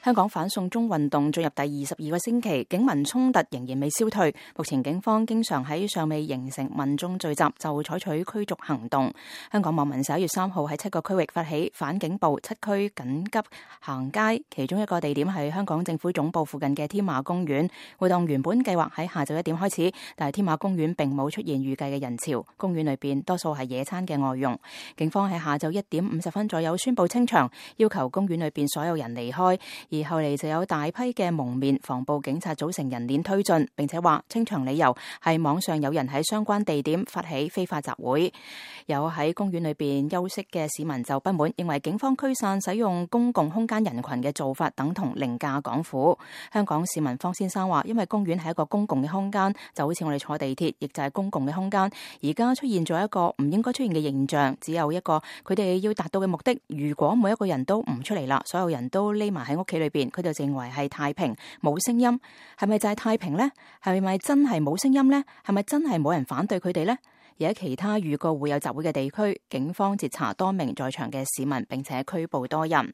香港反送中運動進入第22個星期，警民衝突仍然未消退。目前警方經常喺尚未形成民眾聚集就採取驅逐行動。香港網民11月3號喺7個區域發起反警暴7區緊急行街，其中一個地點係香港政府總部附近嘅添馬公園。活動原本計劃喺下晝1點開始，但係添馬公園並冇出現預計嘅人潮。公園裏邊多數係野餐嘅外傭。警方喺下晝1點50分左右宣布清場，要求公園裏邊所有人離開。而後嚟就有大批嘅蒙面防暴警察組成人鏈推進，並且話清場理由係網上有人喺相關地點發起非法集會。有喺公園裏邊休息嘅市民就不滿，認為警方驅散使用公共空間人群嘅做法等同凌駕港府。香港市民方先生話，因為公園係一個公共嘅空間，就好似我哋坐地鐵，亦就係公共嘅空間。而家出現咗一個唔應該出現嘅現象，只有一個佢哋要達到嘅目的。如果每一個人都唔出嚟啦，所有人都匿埋喺屋企裏邊，佢就認為係太平，冇聲音。係咪就係太平呢？係咪真係冇聲音呢？係咪真係冇人反對佢哋呢？而喺其他預告會有集會嘅地區，警方截查多名在場嘅市民，並且拘捕多人。